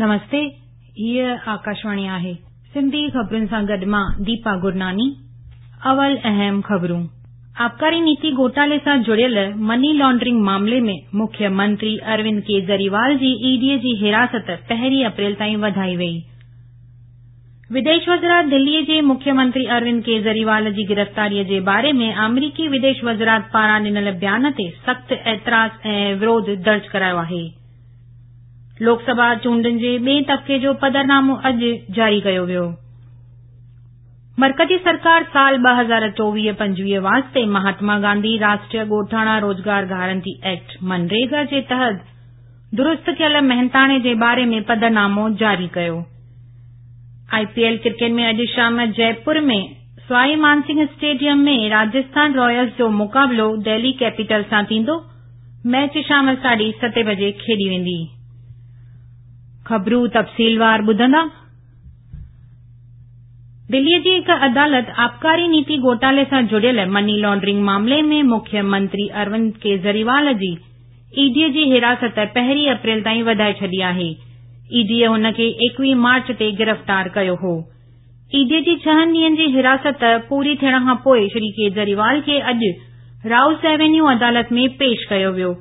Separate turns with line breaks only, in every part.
نمستي، هيء آڪاشواڻي آهي. سنڌي خبرن سان گڏ مان ديپا گرناني. اول اهم خبرون. آبڪاري نيتي گهوٽالي سان جڙيل مني لانڊرنگ معاملي ۾ مکيه منتري اروند ڪيجريوال جي اي ڊي جي حراست پهرين اپريل تائين وڌائي وئي. وديش وزارت دلي جي مکيه منتري اروند ڪيجريوال جي گرفتاري جي باري ۾ آمريڪي وديش وزارت پاران ڏنل بيان تي سخت اعتراض ۽ وروڌ درج ڪرايو آهي. لوڪ سڀا چونڊن جي ٻئين طبقي جو پڌرنامو اڄ جاري ڪيو ويو. مرڪزي سرڪار سال 2024-25 واسطي مهاتما گانڌي راشٽريه ڳوٺاڻا روزگار گارنٽي ايڪٽ منريگا جي تحت درست ڪيل محنتاڻي جي باري ۾ پڌرنامو جاري ڪيو. آء پي ايل ڪرڪيٽ ۾ اڄ شام جئپور ۾ سوائي مانسنگهه اسٽيڊيم ۾ راجسٿان رائلز جو مقابلو دهلي ڪيپيٽلز سان ٿيندو. ميچ شام ساڍي ستين بجي کيڏي ويندي. خبرون تفصيلوار ٻڌندا. دلي جي هڪ عدالت آبڪاري نيتي گهوٽالي سان جڙيل مني لانڊرنگ معاملي ۾ مکيه منتري اروند ڪيجريوال جي اي ڊي جي حراست پهرين اپريل تائين وڌائي ڇڏي آهي. اي ڊي هن کي 21 مارچ تي گرفتار ڪيو هو. اي ڊي جي ڇهن ڏينهن جي حراست پوري ٿيڻ کان پوء شري ڪيجريوال کي اڄ رائوس ايونيو عدالت ۾ پيش ڪيو ويو.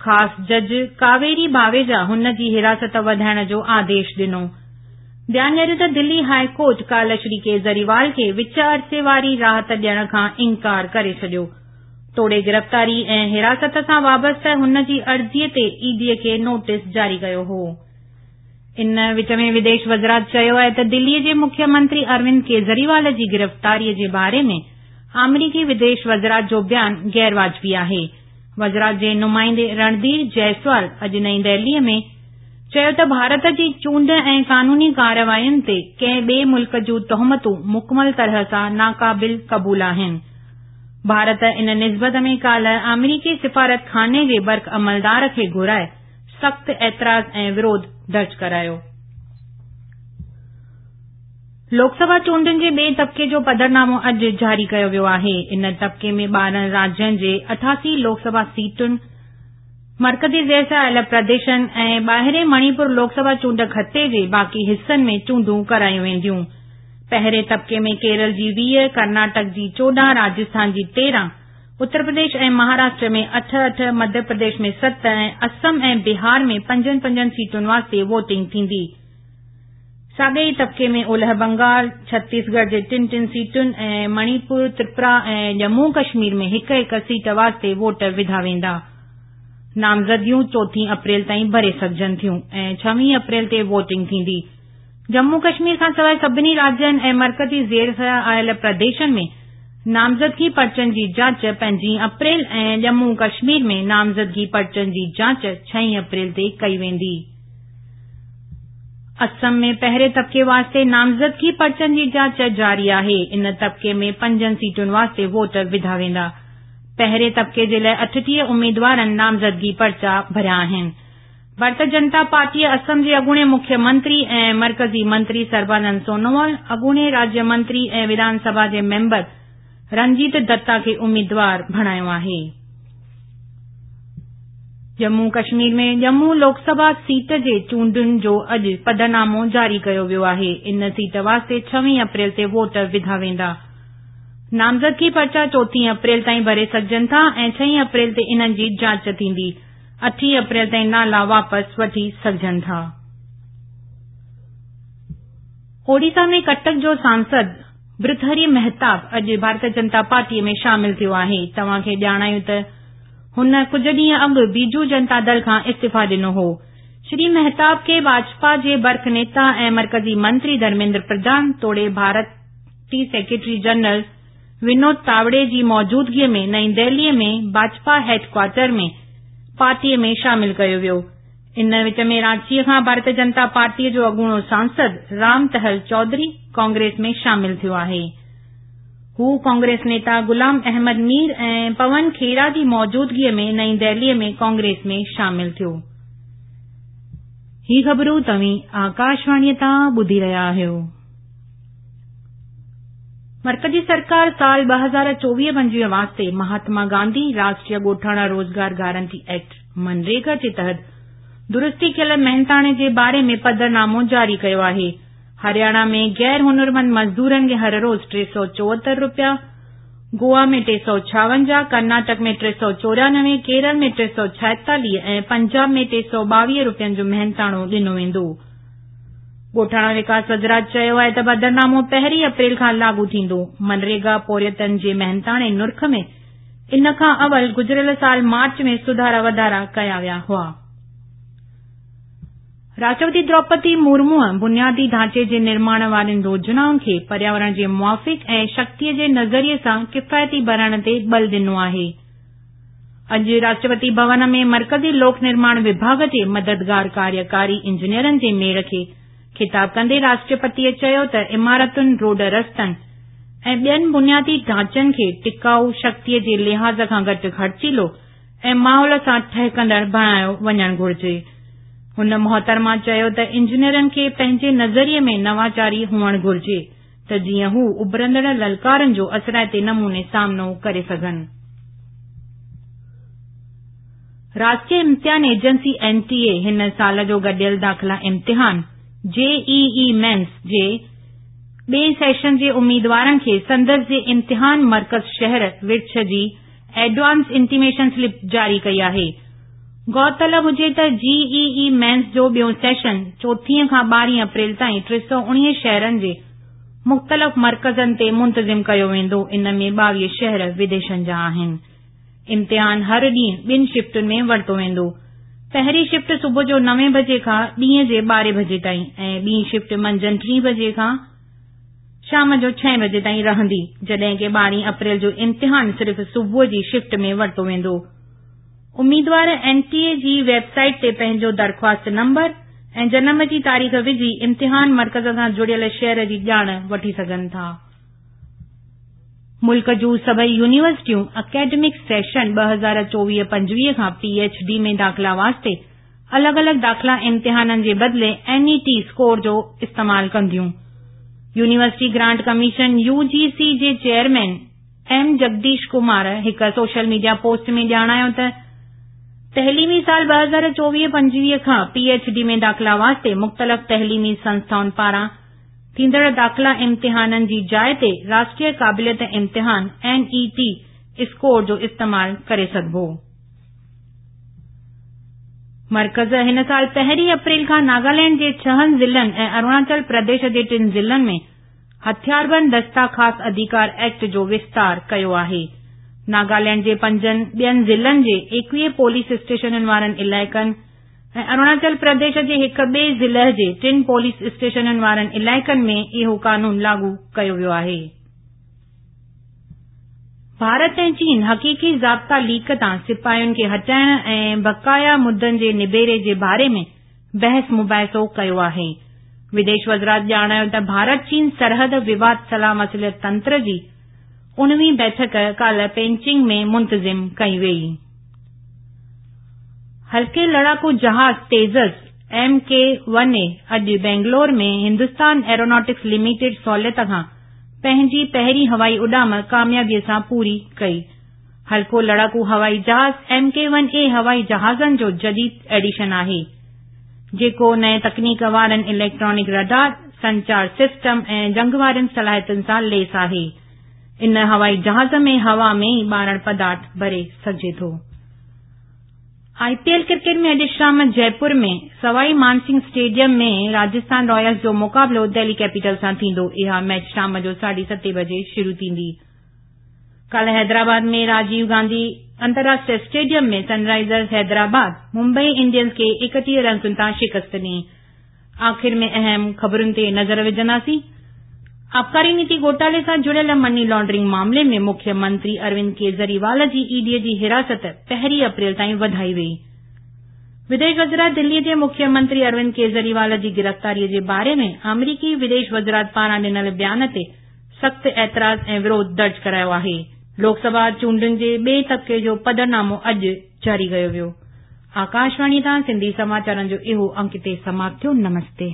خاص جج ڪاويري باويجا هن جي حراست وڌائڻ جو آديش ڏنو. ڌيان ڏياريو ته دلي هاء ڪورٽ ڪالهه شري ڪيجريوال کي وچ عرصي واري راحت ڏيڻ کان انڪار ڪري ڇڏيو. توڙي گرفتاري ۽ حراست سان وابسته هن جي عرضي تي اي ڊي کي نوٽيس جاري ڪيو هو. ان وچ ۾ وديش وزارت چيو آهي ته دلي جي مکيه منتري اروند ڪيجريوال جي گرفتاري جي باري ۾ آمريڪي وديش وزارت جو بيان غير واجبي آهي. وزارت جي نمائندي رڻڌير جئسوال اڄ نئين دهلي ۾ چيو ته ڀارت جي چونڊ ۽ قانوني ڪاررواين تي ڪنهن ٻئي ملڪ جون تهمتون مڪمل طرح سان ناقابل قبول آهن. ڀارت ان نسبت ۾ ڪالهه آمريڪي سفارتخاني جي برک عملدار کي گهرائي سخت اعتراض ۽ وروڌ درج ڪرايو. لوڪ سڀا چونڊن جي ٻئين طبقي جو پڌرنامو اڄ جاري ڪيو ويو آهي. ان طبقي ۾ 12 راجين جي 88 لوڪ سڀا سيٽن، مرڪزي زير سايل پرديشن ۽ ٻاهرين مڻيپور لوڪ سڀا چونڊ خطي جي باقي حصن ۾ چونڊون ڪرايون وينديون. پهرين طبقي ۾ ڪيرل جي 20، ڪرناٽڪ جي 14، راجسٿان جي 13، اتر پرديش ۽ مهاراشٽر ۾ اٺ اٺ، مڌيه پرديش ۾ ست ۽ اسم ۽ بهار ۾ پنجن پنجن سيٽن واسطي ووٽنگ ٿيندي. ساڳئي ئي طبقي ۾ اولهه بنگال، ڇتيس ڳڙهه جي ٽن ٽن سيٽن ۽ مڻيپور، تريپورا ۽ ڄمون ڪشمير ۾ هڪ هڪ سيٽ واسطي ووٽ وڌا ويندا. نامزدگيون چوٿين اپريل تائين ڀري سگهجن ٿيون ۽ ڇويهين اپريل تي ووٽنگ ٿيندي. ڄمون ڪشمير کانسواء سڀني راجين ۽ مرڪزي زير سايا آيل پرديشن ۾ نامزدگي پرچن جي جاچ پنجين اپريل ۽ ڄمون ڪشمير ۾ نامزدگي پرچن جي جاچ ڇهين اپريل تي ڪئي ويندي. اسم ۾ پهرين طبقي واسطي نامزدگي پرچن جي جاچ جاري آهي. ان طبقي ۾ پنجن سيٽن واسطي ووٽ وڌا ويندا. پهرين طبقي جي لاء 38 اميدوارن نامزدگي پرچا ڀريا آهن. ڀارتيه جنتا پارٽيء اسم جي اڳوڻي مکيه منتري ۽ مرڪزي منتري سربانند سونوال، اڳوڻي راجيه منتري ۽ وڌان سڀا جي ميمبر رنجيت دتا کي اميدوار بڻايو آهي. ڄمون ڪشمير ۾ ڄمون لوڪ سڀا سيٽ جي چونڊن جو اڄ پڌرنامو جاري ڪيو ويو آهي. ان سيٽ واسطي ڇويهين اپريل تي ووٽ وڌا ويندا. نامزدگي پرچا چوٿين اپريل تائين ڀري سگهجن ٿا ۽ ڇهين اپريل تي انهن جي جاچ ٿيندي. اٺين اپريل تائين نالا واپس وٺي سگهجن ٿا. اوڙيسا ۾ ڪٽڪ جو سانسد برٿهري مهتاب اڄ ڀارتيه جنتا پارٽي ۾ شامل ٿيو آهي. توهان کي ڄاڻايون ته هن ڪجهه ڏينهن اڳ بيجو جنتا دل کان استعيفا ڏنو هو. شري مهتاب کي ڀاجپا جي برک نيتا ۽ مرڪزي منتري ڌرميندر پرڌان توڙي ڀارتي سيڪريٽري جنرل ونود تاوڙي جي موجودگيء ۾ نئين دهليء ۾ ڀاجپا هيڊ ڪوارٽر ۾ پارٽيء ۾ شامل ڪيو ويو. ان وچ ۾ رانچيء کان ڀارتيه جنتا پارٽيء جو اڳوڻو سانسد رام تهل چوڌري ڪانگريس ۾ شامل ٿيو آهي. هو ڪانگريس نيتا غلام احمد مير ۽ پون کيرا جي موجودگيء ۾ نئين دهليء ۾ ڪانگريس ۾ شامل ٿيو. هي خبرون توهين آڪاشواڻيء تان ٻڌي رهيا آهيو. مرڪزي سرڪار سال 2024-25 واسطي مهاتما گانڌي راشٽريه ڳوٺاڻا روزگار گارنٽي ايڪٽ منريگا جي تحت درستي ڪيل محنتاڻي جي باري ۾ پڌرنامو جاري ڪيو آهي. هرياڻا ۾ غير هنرمند مزدورن کي هر روز 374 رپيا، گوا ۾ 356، ڪرناٽڪ ۾ 394، ڪيرل ۾ 346 ۽ پنجاب ۾ 322 رپين جو محنتاڻو ڏنو ويندو. ڳوٺاڻا وڪاس وزارت چيو آهي ته پڌرنامو پهرين اپريل کان لاڳو ٿيندو. منريگا پورهيتن جي محنتاڻي نرخ ۾ ان کان اول گذريل سال مارچ ۾ سڌارا وڌارا ڪيا ويا هئا. راشٽرپتي دروپدي مرموء بنيادي ڍانچي جي نرماڻ وارين يوجنائن کي پرياورڻ جي موافق ۽ شڪتيء جي نظريي سان ڪفايتي بڻائڻ تي ٻل ڏنو آهي. اڄ راشٽرپتي ڀون ۾ مرڪزي لوڪ نرماڻ وڀاڳ جي مددگار ڪاريڪاري انجنيئرن جي ميڙ کي خطاب ڪندي راشٽرپتيء چيو ته عمارتن، روڊ رستن ۽ ٻين بنيادي ڍانچن کي ٽڪائو، شڪتيء جي لحاظ کان گهٽ خرچيلو ۽ ماحول سان ٺهڪندڙ بڻايو وڃڻ گهرجي. هن محترمه چيو ته انجنيئرن کي پنهنجي نظريي ۾ نواچاري هئڻ گهرجي ته جيئن هو اڀرندڙ للڪارن جو اثرائتي نموني سامنو ڪري سگهن. راشٽريه امتحان ايجنسي، اين ٽي اي، هن سال جو گڏيل داخلا امتحان، جي اي اي مينس، جي ٻئين سيشن جي اميدوارن کي سندس جي امتحان مرڪز شهر ورڇ جي ايڊوانس انٽيميشن سلپ جاري ڪئي آهي. غور طلب هجي ته جي اي اي مينس جو ٻيون سيشن چوٿين کان ٻارهين اپريل تائين 319 شهرن جي مختلف مرڪزن تي منتظم ڪيو ويندو، ان ۾ 22 شهر وديشن جا آهن. امتحان هر ڏينهن ٻن شفٽن ۾ ورتو ويندو. پهرين شفٽ صبح جو نوين بجي کان ڏينهن جي ٻارهين بجي تائين ۽ ٻي شفٽ منجهند ٽين بجي کان شام جو ڇهين بجي تائين رهندي، جڏهن ڪه ٻارهين اپريل جو امتحان صرف صبح جي شفٽ ۾ ورتو ويندو. اميدوار اين ٽي اي جي ويب سائيٽ تي پنهنجو درخواست نمبر ۽ جنم جي تاريخ وجهي امتحان مرڪز سان جڙيل شهر جي ڄاڻ وٺي سگهن ٿا. ملڪ جون سڀئي يونيورسٽيون اڪيڊمڪ سيشن 2024-25 کان پي ايڇ ڊي ۾ داخلا واسطي الڳ الڳ داخلا امتحانن جي بدلي اين اي ٽي اسڪور جو استعمال ڪنديون. University grant commission, U G C, جي چيئرمين ايم جگديش ڪمار هڪ سوشل ميڊيا پوسٽ ۾ ڄاڻايو ته تعليمي سال 2024-25 کان پي ايڇ ڊي ۾ داخلا واسطي مختلف تعليمي سنسٿائن پاران ٿيندڙ داخلا امتحانن جي جاء تي راشٽريه قابليت امتحان، اين اي ٽي، اسڪور جو استعمال ڪري سگهبو. مرڪز هن سال پهرين اپريل کان ناگالينڊ جي ڇهن ضلعن ۽ اروناچل پرديش جي ٽن ضلعن ۾ هٿياربند دستا خاص اڌيڪار ايڪٽ جو وستار ڪيو آهي. ناگالينڊ جي پنجن ٻين ضلعن جي 21 پوليس اسٽيشنن وارن علائقن ۽ اروناچل پرديش جي هڪ ٻئي ضلع جي ٽن پوليس اسٽيشنن وارن علائقن ۾ اهو قانون لاڳو ڪيو ويو آهي. ڀارت ۽ چين حقيقي ضابطا ليڪ تان سپاهين کي هٽائڻ ۽ بقايا مدن جي نبيري جي باري ۾ بحث مباحثو ڪيو آهي. وديش وزارت ڄاڻايو ته ڀارت چين سرحد وواد صلاح مصلحت تنتر جي اڻويهين بيٺڪ ڪالهه پينچنگ ۾ منتظم ڪئي وئي. هلڪي لڙاڪو جهاز Tejas M K one A اڄ بينگلور ۾ هندستان ايروناٽڪس لميٽيڊ سهولت کان پنهنجي پهرين هوائي اڏام ڪاميابي سان پوري ڪئي. هلڪو لڙاڪو هوائي جهاز ايم ڪي ون اي هوائي جهازن جو جديد ايڊيشن آهي، جيڪو نئين تڪنيڪ وارن اليڪٽرانڪ رڊار، سنچار سسٽم ۽ جنگ وارين صلاحيتن سان ليس آهي. ان هوائي جهاز ۾ هوا ۾ ئي ٻارڻ پدارٿ ڀري سگهجي ٿو. آء پي ايل ڪرڪيٽ ۾ اڄ شام جئپور ۾ سوائي مانسنگهه اسٽيڊيم ۾ راجسٿان رائلز جو مقابلو دهلي ڪيپيٽلز سان ٿيندو. اها ميچ شام جو ساڍي ستين بجي شروع ٿيندي. ڪالهه حيدرآباد ۾ راجيو گانڌي انترراشٽريه اسٽيڊيم ۾ سن رائيزرز حيدرآباد ممبئي انڊينز کي 31 رنسن تان شڪست ڏني. آخر ۾ اهم خبرن تي نظر وجهنداسين. آبڪاري نيتي گهوٽالي سان جڙيل مني لانڊرنگ معاملي ۾ مکيه منتري اروند ڪيجريوال جي اي ڊي جي حراست پهرين اپريل تائين وڌائي وئي. وديش وزارت دلي جي مکيه منتري اروند ڪيجريوال جي گرفتاري جي باري ۾ آمريڪي وديش وزارت پاران ڏنل بيان تي سخت اعتراض ۽ وروڌ درج ڪرايو آهي. لوڪ سڀا چونڊن جي ٻئي طبقي جو پڌرنامو اڄ جاري ڪيو ويو. آڪاشواڻي تان سنڌي سماچارن جو اهو انڪ هتي سماپت ٿيو. نمستي.